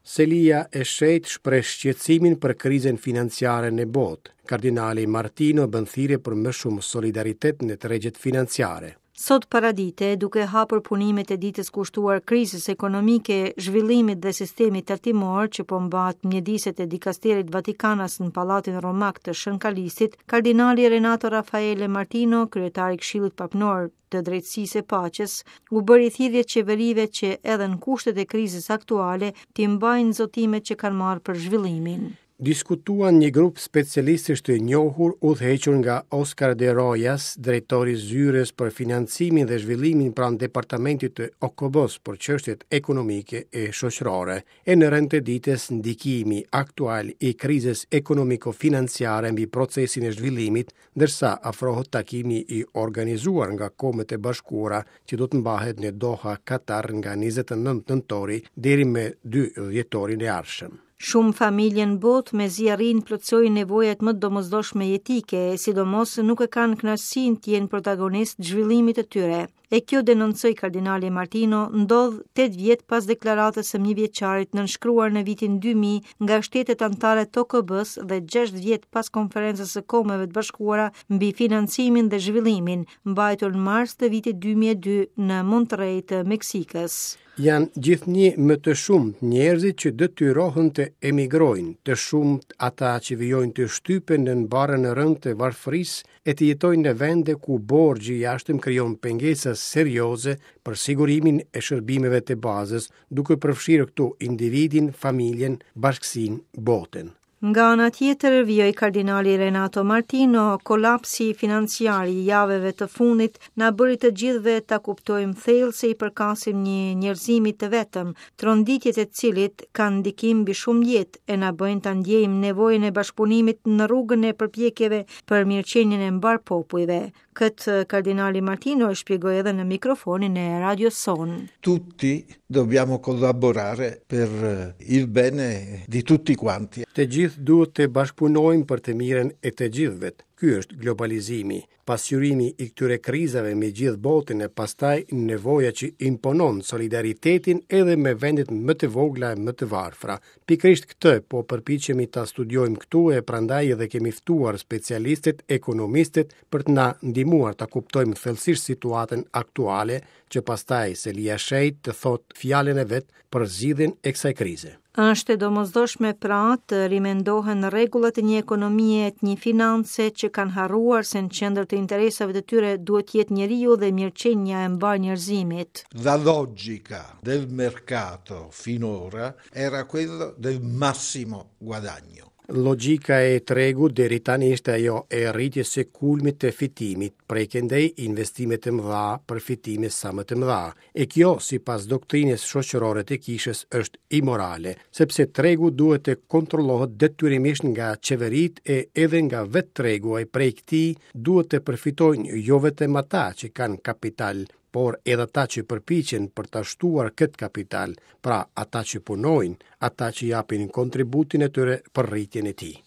Selia e Shenjtë shpreh shqetësimin për krizën financiare në botë. Kardinali Martino bën thirrje për më shumë solidaritet në tregjet financiare. Sot paradite, duke hapur punimet e ditës kushtuar krizës ekonomike, zhvillimit dhe sistemit tatimor që po mbahet në mjediset e dikasterit Vatikanas në Pallatin Romak të Shën Kalistit, kardinali Renato Raffaele Martino, kryetar i Këshillit Papnor të Drejtësisë e Paqes, u bëri thirrje qeverive që edhe në kushtet e krizës aktuale t'i mbajnë zotimet që kanë marrë për zhvillimin. Diskutuan një grup specialistësh të njohur udhëhequr nga Oscar de Rojas, drejtor i Zyrës për Financimin dhe Zhvillimin pranë Departamentit të OKB-së për çështjet ekonomike e shoqërore, e në rend të ditës ndikimi aktual i krizës ekonomiko-financiare mbi procesin e zhvillimit, ndërsa afrohet takimi i organizuar nga Kombet e Bashkuara që do të mbahet në Doha, Katar nga 29 nëntori deri më 2 dhjetorin e ardhshëm. Shumë familje në botë mezi arrijnë të plotësojnë nevojat më të domosdoshme jetike, e sidomos nuk e kanë kënaqësinë të jenë protagonistë të zhvillimit të tyre. E kjo denoncoi kardinali Martino, ndodh 8 vjet pas deklaratës së mijëvjeçarit nënshkruar në vitin 2000 nga shtetet anëtare të OKB-së dhe 6 vjet pas konferencës së Kombeve të Bashkuara mbi financimin dhe zhvillimin, mbajtur në mars të vitit 2002 në Monterrey të Meksikës. Janë gjithnjë më të shumtë njerëzit që detyrohen të emigrojnë, të shumtë ata që vijojnë të shtypen nën barrën e rëndë të varfërisë e të jetojnë në vende ku borxhi i jashtëm krijon pengesa serioze për sigurimin e shërbimeve të bazës, duke përfshirë këtu individin, familjen, bashkësinë, botën. Nga ana tjetër, vijoi kardinali Renato Martino, kolapsi financiar i javëve të fundit na bëri të gjithëve ta kuptojmë thellë se i përkasim një njerëzimi të vetëm, tronditjet e të cilit kanë ndikim mbi shumë jetë e na bëjnë ta ndjejmë nevojën e bashkëpunimit në rrugën e përpjekjeve për mirëqenien e mbarë popujve. Këtë kardinali Martino e shpjegoi edhe në mikrofonin e radios sonë. Tutti dobbiamo collaborare per eh, il bene di tutti quanti. Të gjithë duhet të bashkëpunojmë për të mirën e të gjithëve. Ky është globalizimi, pasqyrimi i këtyre krizave me gjithë botën e pastaj nevoja që imponon solidaritetin edhe me vendet më të vogla e më të varfra. Pikërisht këtë po përpiqemi ta studiojmë këtu e prandaj edhe kemi ftuar specialistët, ekonomistët për të na ndihmuar ta kuptojmë thellësisht situatën aktuale, që pastaj Selia e Shenjtë të thotë fjalën e vet për zgjidhjen e kësaj krize. Është e domosdoshme pra të rimendohen rregullat e një ekonomie e të një finance që kanë harruar se në qendër të interesave të tyre duhet të jetë njeriu dhe mirëqenia e mbarë njerëzimit. La logica del mercato finora era quello del massimo guadagno. Logjika e tregut deri tani ishte ajo e rritjes së kulmit të fitimit, prej këndej investime të mëdha për fitime sa më të mëdha. E kjo, sipas doktrinës shoqërore të kishës, është imorale, sepse tregu duhet të kontrollohet detyrimisht nga qeveritë e edhe nga vetë tregu e prej këtij duhet të përfitojnë jo vetëm ata që kanë kapital, por edhe ata që përpiqen për ta shtuar këtë kapital, pra ata që punojnë, ata që japin kontributin e tyre për rritjen e tij.